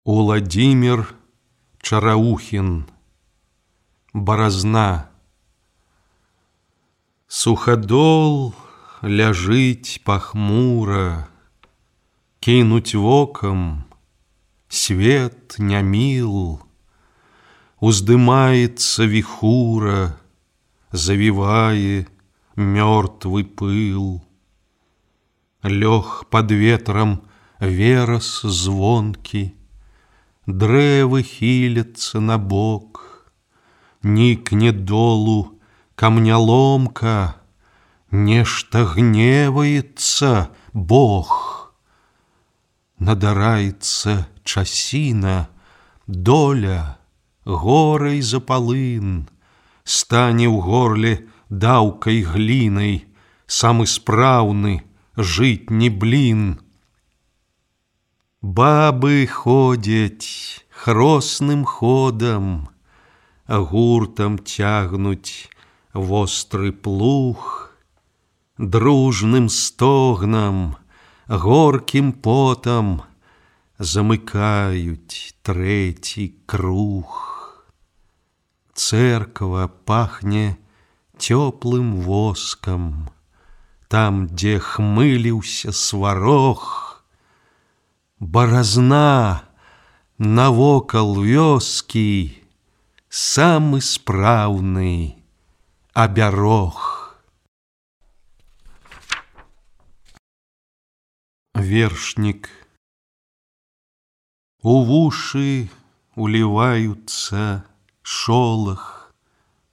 Уладзімір Чараухін. Баразна. Суходол ляжыць пахмура, кінуць вокам свет не міл, уздымаецца віхура, завівае мёртвы пыл. Лёг пад ветрам верас звонкі, дрэвы хіляцца на бок, нікне долу камняломка, нешта гневаецца Бог. Надараецца часіна, доля горай за палын, стане ў горле даўкай глінай самы спраўны жытні блін. Бабы ходзяць хросным ходам, гуртам цягнуць востры плуг, дружным стогнам, горкім потам замыкаюць трэці круг. Цэрква пахне цёплым воскам, там, дзе хмыліўся сварог. Баразна навокал вёскі, самы спраўны абярог. Вершнік. У вушы уліваюцца шолах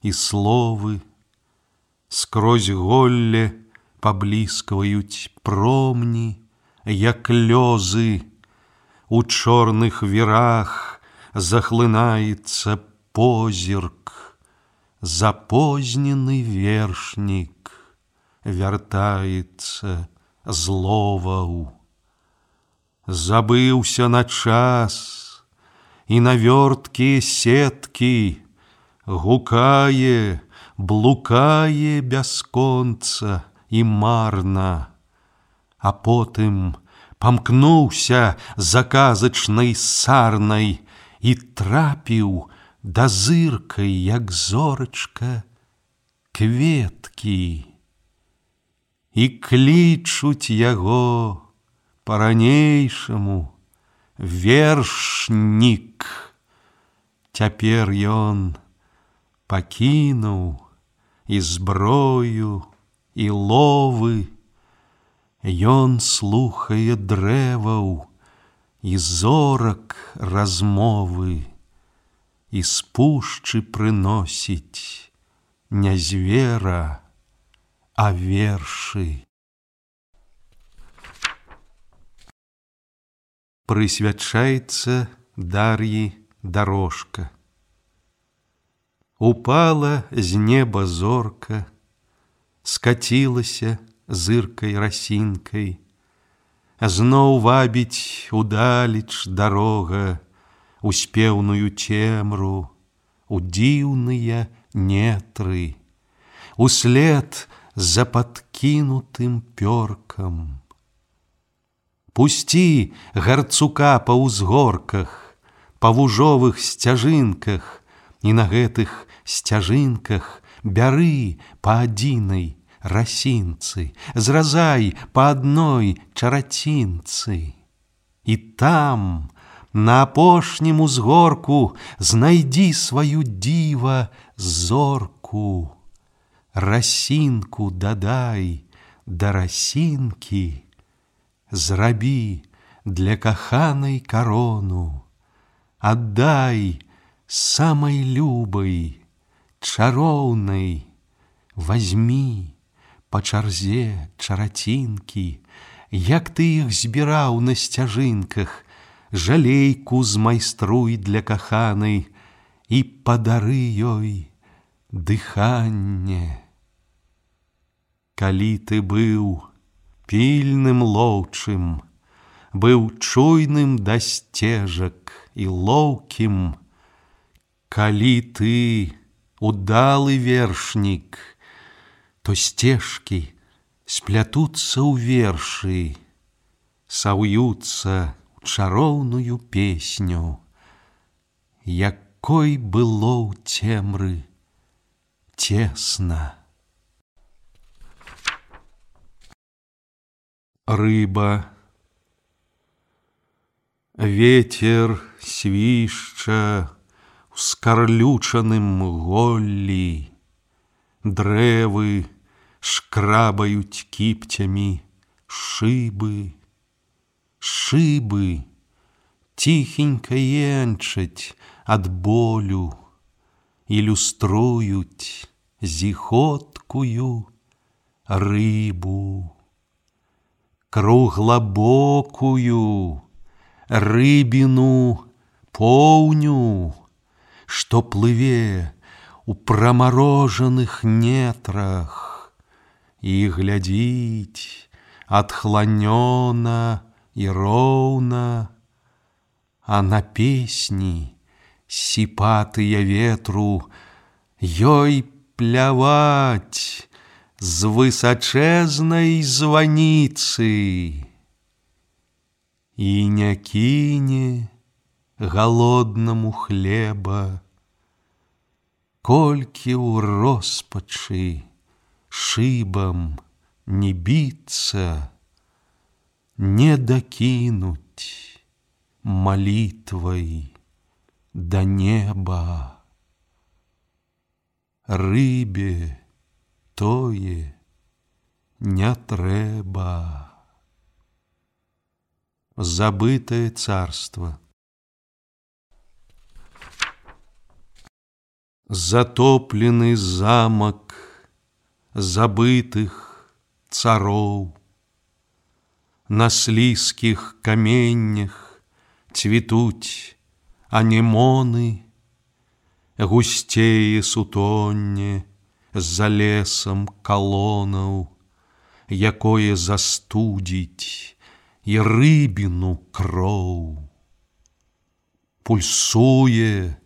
і словы, скрозь голле пабліскваюць промні, як лёзы. У чорных вірах захлынаецца позірк, запознены вершнік вяртаецца з ловаў. Забыўся на час і на вёрткія сеткі, гукае, блукае бясконца і марна, а потым памкнуўся заказачнай сарнай і трапіў да зыркай, як зорачка, кветкі. І клічуць яго па-ранейшаму вершнік. Цяпер ён пакінуў і зброю, і ловы. Ён слухае дрэваў і зорак размовы, і з пушчы прыносіць не звера, а вершы. Прысвячаецца Дар'і Дарожка. Упала з неба зорка, скацілася зыркай расінкай, зноў вабіць удалеч дарога у спеўную цемру, у дзіўныя нетры, услед за падкінутым пёркам. Пусці гарцука па ўзгорках, па вужовых сцяжынках, і на гэтых сцяжынках бяры па адзінай расінцы, зразай па адной чарацінцы. І там, на апошнім узгорку, знайдзі сваю дзіва зорку. Расінку дадай да расінкі, зрабі для каханай карону, аддай самай любай, чароўнай, вазьмі па чарзе чарацінкі, як ты іх збіраў на сцяжынках, жалейку змайструй для каханай і падары ёй дыханне. Калі ты быў пільным лоўчым, быў чуйным да сцежак і лоўкім, калі ты удалы вершнік, то сцежкі сплятуцца ў вершы, саўюцца чароўную песню, якой было ў цемры цесна. Рыба. Ветер свішча ў скарлючаным голлі, дрэвы шкрабаюць кіпцямі шыбы. Шыбы ціхенька енчаць ад болю, ілюструюць зіхоткую рыбу. Круглабокую рыбіну поўню, што плыве у прамарожаных нетрах і глядзіць адхланёна і роўна, а на песні сіпатыя ветру ёй пляваць з высачэзнай званіцы. І не кіне галоднаму хлеба, колькі ў роспачы шыбам не біцца, не дакінуць малітвай да неба. Рыбе тое не трэба. Забытое царство. Затоплены замок забытых цароў. На слізкіх каменнях цвітуць анемоны, гусцее сутонне за лесам калонаў, якое застудзіць і рыбіну кроў. Пульсуе,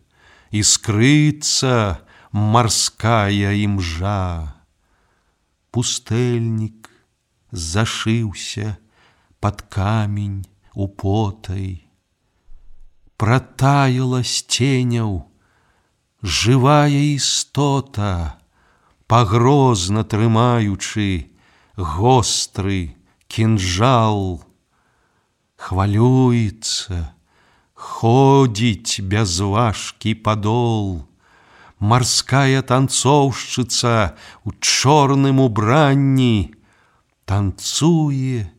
іскрыцца марская імжа. Пустэльнік зашыўся пад камень употай. Пратаяла з ценяў жывая істота, пагрозна трымаючы гостры кінжал. Хвалюецца, ходзіць бязважкі падол. Марская танцоўшчыца ў чорным убранні танцуе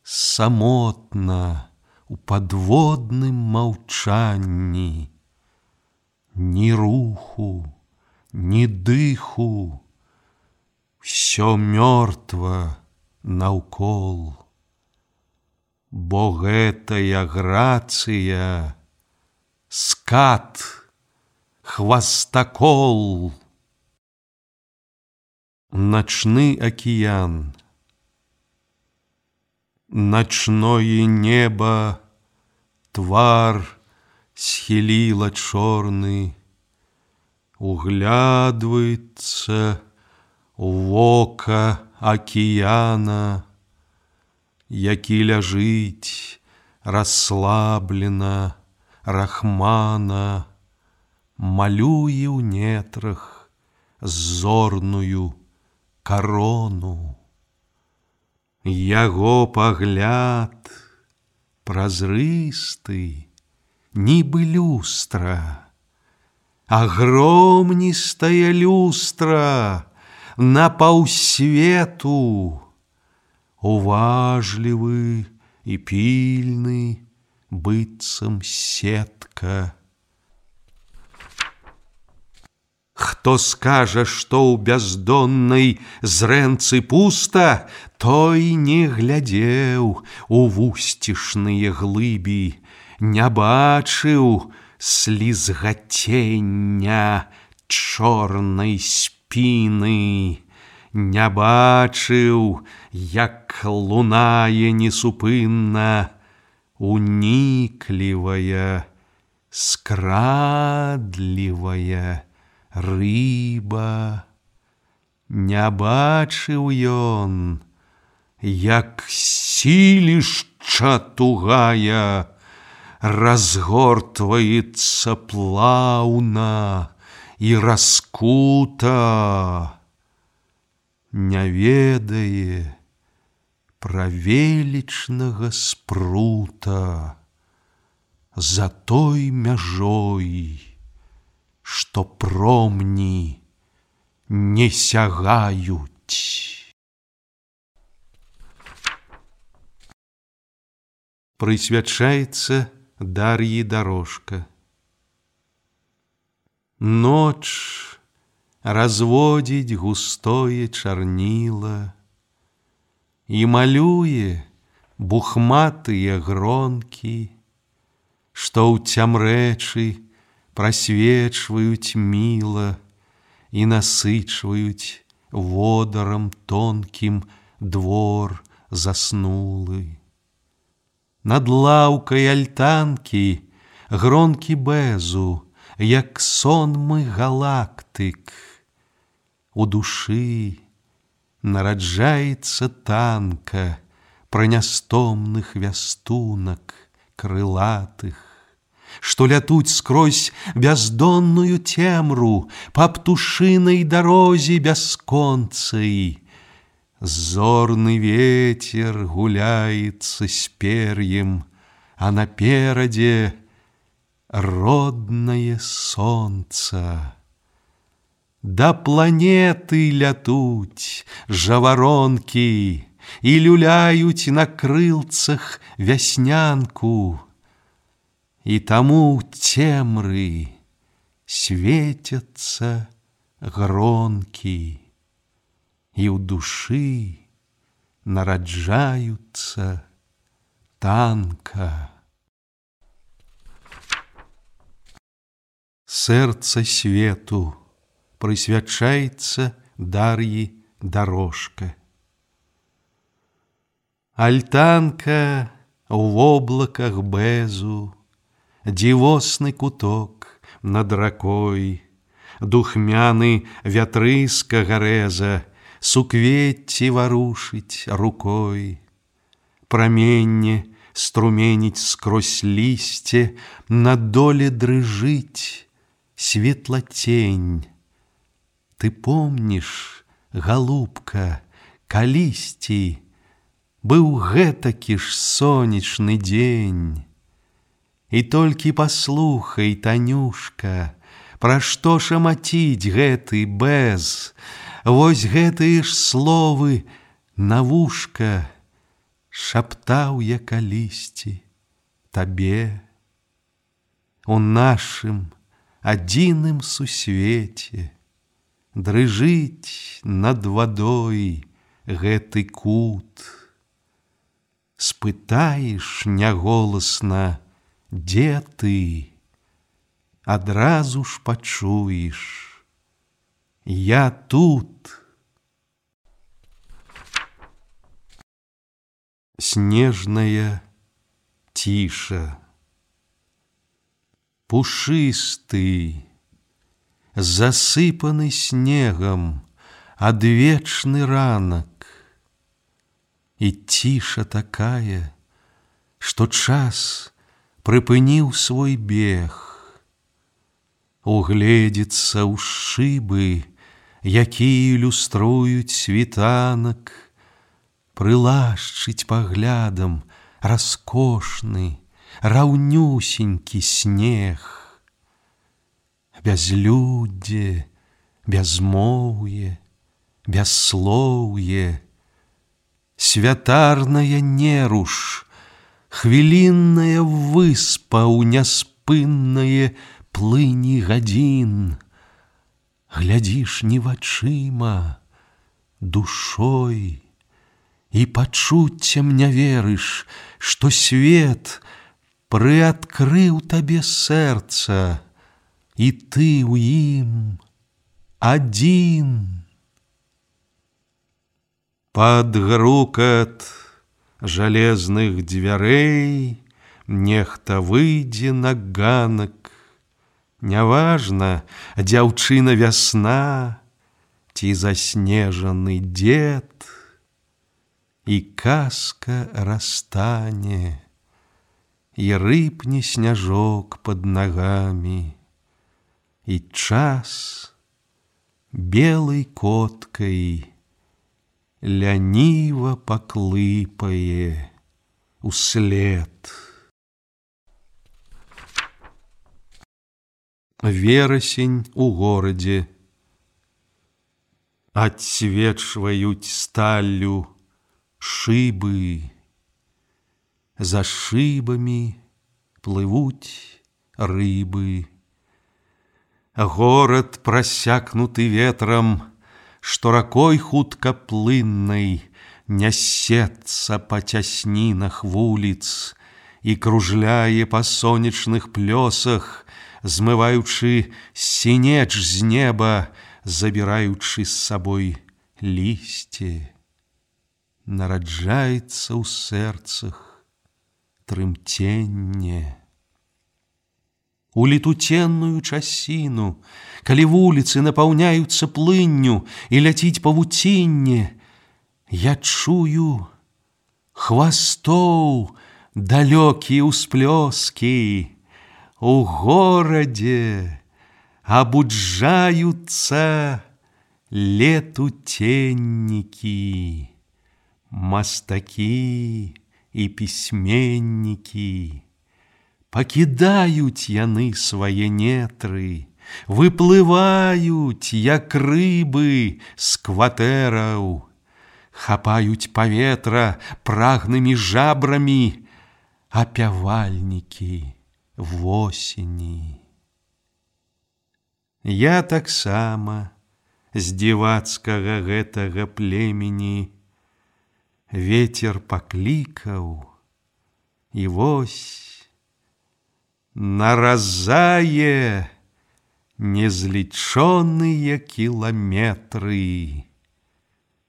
самотна у падводным маўчанні. Ні руху, ні дыху, усё мёртва наўкол. Бо гэтая грацыя скат, хвастакол. Ночны океан. Ночное небо твар схіліла чорны, углядваецца у вока океана, які ляжыць расслаблена, рахмана, малюе ў нетрах зорную карону. Яго пагляд празрысты, нібы люстра, агромністая люстра на паўсвету. Уважлівы і пільны, быццам сетка. Хто скажа, што ў бяздоннай зрэнцы пуста, той не глядзеў у вусцішныя глыбі, не бачыў слізгацення чорнай спіны, не бачыў, як лунае несупынна уніклівая, скрадлівая рыба. Не бачыў ён, як сілішча тугая разгортваецца плаўна і раскута, не ведае пра велічнага спрута за той мяжой, што промні не сягаюць. Прысвячаецца Дар'і Дарожка. Ноч разводзіць густое чарніла і малюе бухматыя гронкі, што ў цямрэчы прасвечваюць міла і насычваюць водарам тонкім двор заснулы. Над лаўкай альтанкі гронкі бэзу, як сонмы галактык. У душы нараджаецца танка пра нястомных вястунак крылатых, што лятуць скрозь бяздонную цемру па птушынай дарозе бясконцай. Зорны ветер гуляецца з пер'ем, а наперадзе роднае сонца. Да планеты лятуць жаваронкі і люляюць на крылцах вяснянку, і таму ў цемры свецяцца гронкі, і ў душы нараджаюцца танка. Сэрца свету прысвячаецца Дар'і Дарожка. Альтанка ў воблаках бэзу, дзівосны куток над ракой, духмяны вятрыска гарэза, суквецці варушыць рукой. Праменне струменіць скрозь лісце, на доле дрыжыць светлацень. Ты помніш, галубка, калісьці быў гэтакі ж сонечны дзень. І толькі паслухай, Танюшка, пра што шамаціць гэты бэз. Вось гэтыя ж словы на вушка шаптаў я калісьці табе. У нашым адзіным сусвеце дрыжыць над вадой гэты кут. Спытаеш няголасна, дзе ты, адразу ж пачуеш: я тут. Снежная ціша. Пушысты, засыпаны снегам адвечны ранак. І ціша такая, што час прыпыніў свой бег. Угледзецца ў шыбы, якія ілюструюць світанак, прылашчыць паглядам раскошны, раўнюсенькі снег. Бязлюддзе, бязмоўе, бясслоўе, святарная неруш, хвілінная выспа ў няспыннае плыні гадзін. Глядзіш не вачыма, душой, і пачуццям не верыш, што свет прыадкрыў табе сэрца, і ты ў ім адзін. Пад грукат жалезных дзвярэй нехта выйдзе на ганак. Няважна, дзяўчына вясна ці заснежаны дзед, і казка растане, і рыпне сняжок под ногами, і час белой коткой ляніва паклыпае услед. Верасень у горадзе. Отсвечивают сталью шибы, за шибами плывут рыбы. Город, просякнутый ветром, что ракой хуткоплынной несется по тяснинах вулиц и кружляе по сонечных плесах, змываючы синеч з неба, забираючы с собой листья, нараджается у сердцах трымтенне. У летутенную часіну, калі вуліцы напаўняюцца плынню і ляціць павуцінне, я чую хвастоў далёкія ўсплёскі. У городе обуджаются летутенники, мастаки и письменники. Покидают яны свае нетры, выплывают, як рыбы з кватэраў, хапают паветра прагнымі жабрамі, апявальнікі восені. Я таксама з дзівацкага гэтага племені ветер паклікаў, і вось наразае незлічоныя кіламетры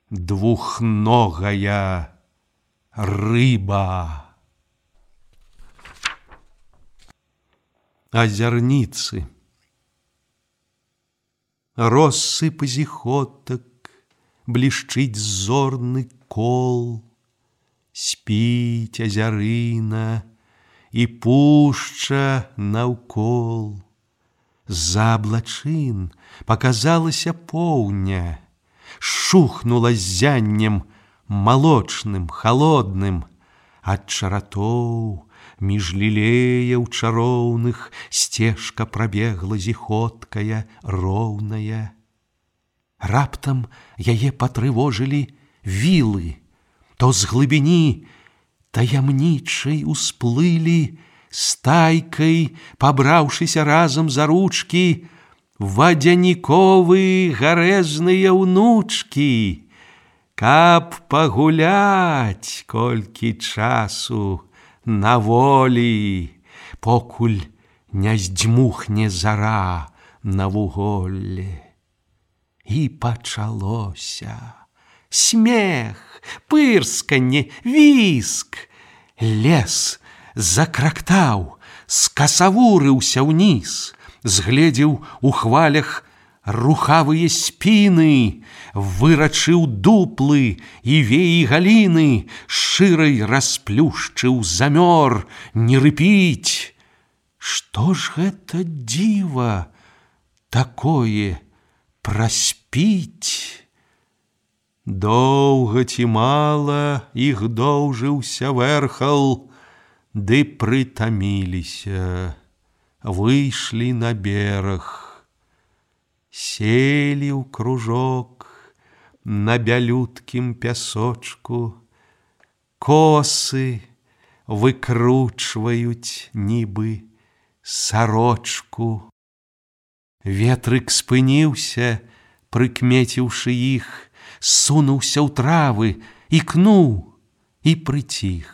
двухногая рыба. Озерницы. Россыпь зіхотак, блішчыць зорны кол, спіць азярына і пушча наўкол. З-за аблачын показалася поўня, шухнула зяннем малочным, холодным, ад чаратоў між лілеяў чароўных сцежка прабегла зіхоткая, роўная. Раптам яе патрывожылі вілы, то з глыбіні таямнічай усплылі стайкай, пабраўшыся разам за ручкі, вадзяніковы гарэзныя ўнучкі, каб пагуляць колькі часу на волі, покуль не здзьмухне зара на вуголле. І пачалося смех, пырсканне, віск. Лес закрактаў, скасавурыўся ўніз, згледзеў у хвалях рухавыя спіны, вырачыў дуплы і веі галіны, шырай расплюшчыў замёр, не рыпіць. Што ж гэта дзіва такое праспіць? Доўга ці мала іх доўжыўся вэрхал, ды прытаміліся, выйшлі на бераг. Селі ў кружок на бялюткім пясочку, косы выкручваюць нібы сарочку. Ветрык спыніўся, прыкмеціўшы іх, сунуўся ў травы, ікнуў і прыціх.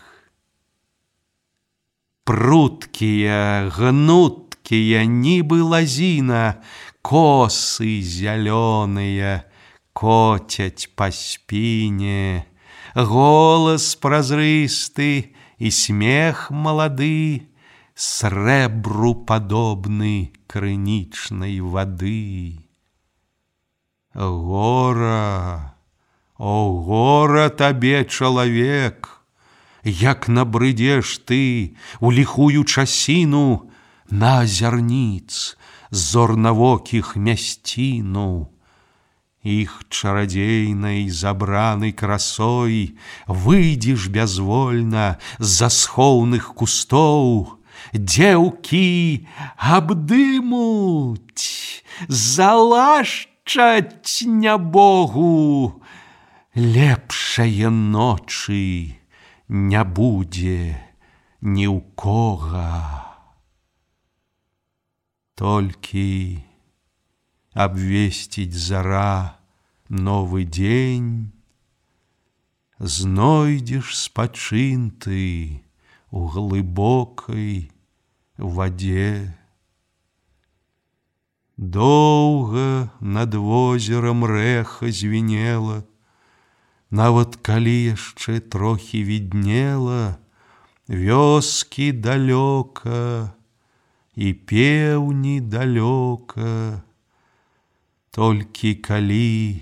Пруткія, гнуткія, нібы лазіна, косы зялёныя коцяць па спіне, голас празрысты і смех малады, срэбру падобны крынічнай вады. Гора, о гора табе, чалавек, як набрыдзеш ты у ліхую часіну на азярніц зорнавокіх мясціну. Іх чарадзейнай забранай красой выйдзеш бязвольна з-за схоўных кустоў, дзеўкі абдымуць, залашчаць нябогу, лепшае ночы не будзе ні ў кога. Толькі абвесціць зара новы дзень, знойдзеш спачын ты у глыбокай вадзе. Доўга над возерам рэха звінела, нават калі яшчэ трохі віднела вёскі далёка і пеўні далёка. Толькі калі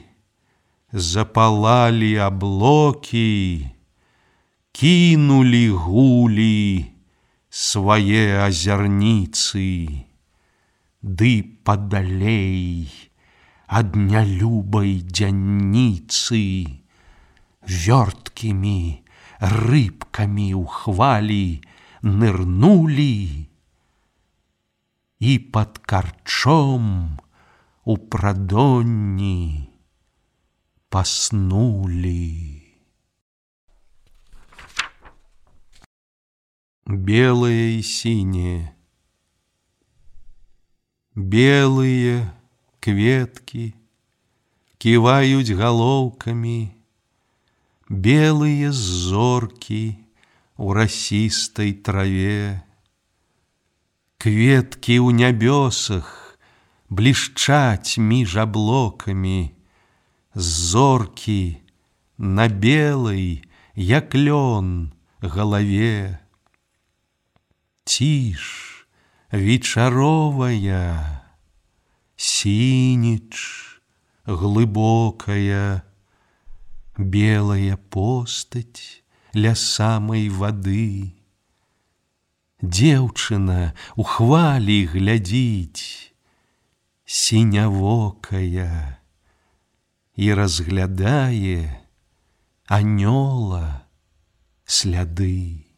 запалалі аблокі, кінулі гулі свае азярніцы, ды падалей ад нялюбай дзянніцы вёрткімі рыбкамі ў хвалі нырнулі і пад карчом у прадонні паснулі. Белое и синее. Белые кветкі ківаюць галоўкамі, белые зоркі у расістай траве. Кветкі ў нябёсах блішчаць між аблокамі, зоркі на белай, як лён, галаве. Ціш вечаровая, сініч глыбокая, белая постаць ля самай вады. Дзеўчына у хвалі глядзіць, сінявокая, і разглядае анёла сляды.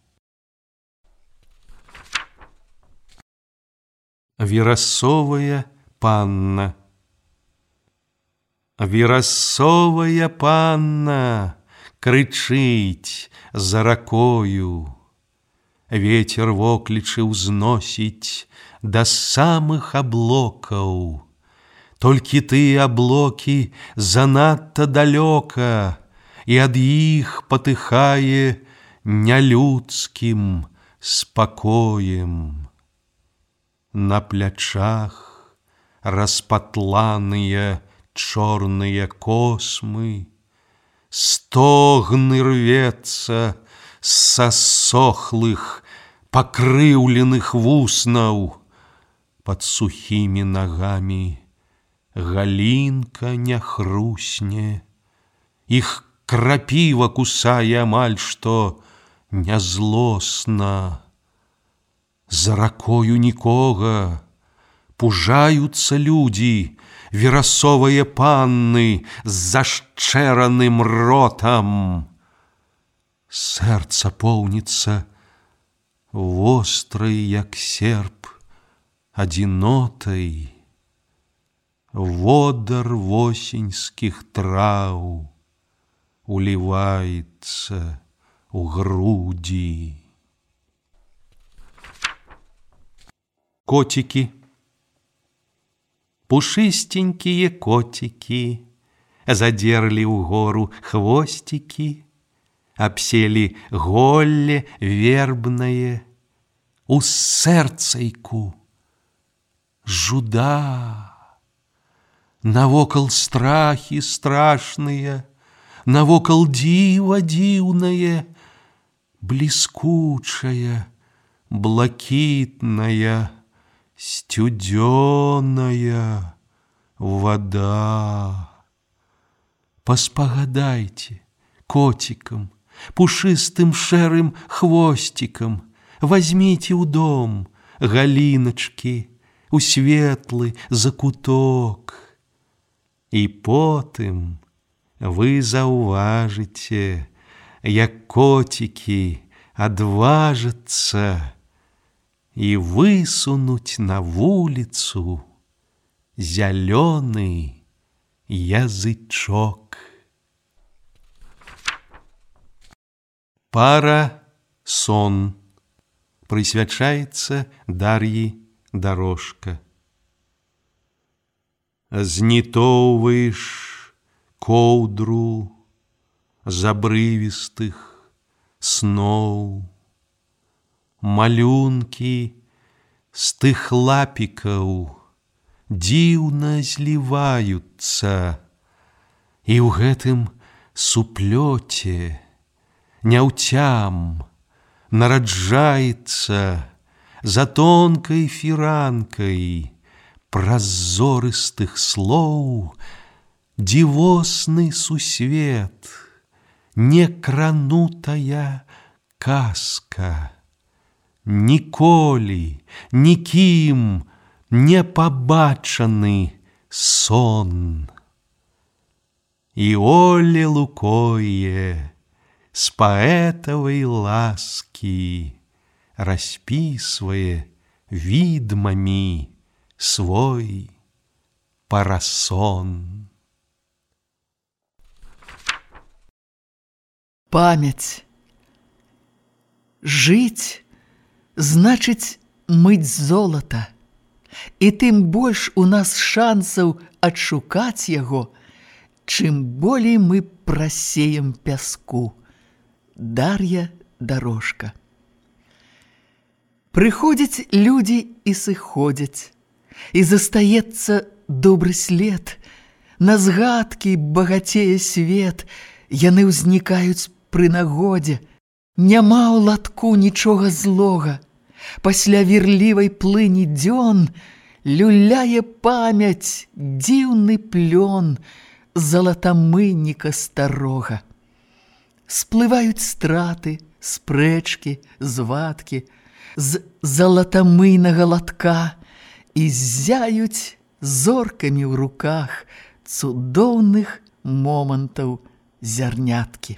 Верасовая панна. Верасовая панна крычыць за ракою. Ветер воклічы ўзносіць да самых аблокаў. Толькі тыя аблокі занадта далёка, і ад іх патыхае нялюдскім спакоем. На плячах распатланыя чорныя космы, стогны рвецца са сохлых, пакрыўленых вуснаў. Пад сухімі нагамі галінка не хрусне, іх крапіва кусае амаль што нязлосна. За ракою нікога, пужаюцца людзі, верасовыя панны з зашчэраным ротам. Сэрца поўніцца вострай, як серп, адзінотай. Водар восеньскіх траў уліваецца ў грудзі. Котики. Пушистенькие котики задерли угору хвостики, обсели голле вербное, у сэрцайку жуда. Навокал страхи страшные, навокал дива дивное, блескучая, блакитная, стюдёная вода. Поспагадайте котикам, пушистым шэрым хвосцікам возьмите ў дом галіначкі у светлы закуток. І потым вы заўважыце, як коцікі адважацца і высунуць на вуліцу зялёны язычок. Пара-сон прысвячаецца Дар'і Дорожка. Знітоўваеш коўдру з абрывістых сноў, малюнкі з тых лапікаў дзіўна зліваюцца, і ў гэтым суплёце няўцям нараджаецца за тонкай фіранкай празорыстых слоў дзівосны сусвет, некранутая казка, ніколі нікім не пабачаны сон. І Оле Лукойе с паэтавай ласки расписывае видмами свой парасон. Памяць. Жыць значыць мыць золата, і тым больш у нас шансаў адшукаць яго, чым болей мы прасеем пяску. Дар'я Дорожка. Прыходзяць людзі і сыходзяць, і застаецца добры след. На згадкі багацее свет, яны ўзнікаюць пры нагодзе. Няма ў латку нічога злога. Пасля вірлівай плыні дзён люляе памяць дзіўны плён залатамынніка старога. Сплываюць страты, спрэчкі, звадкі з залатамыйнага латка і ззяюць зоркамі ў руках цудоўных момантаў зярняткі.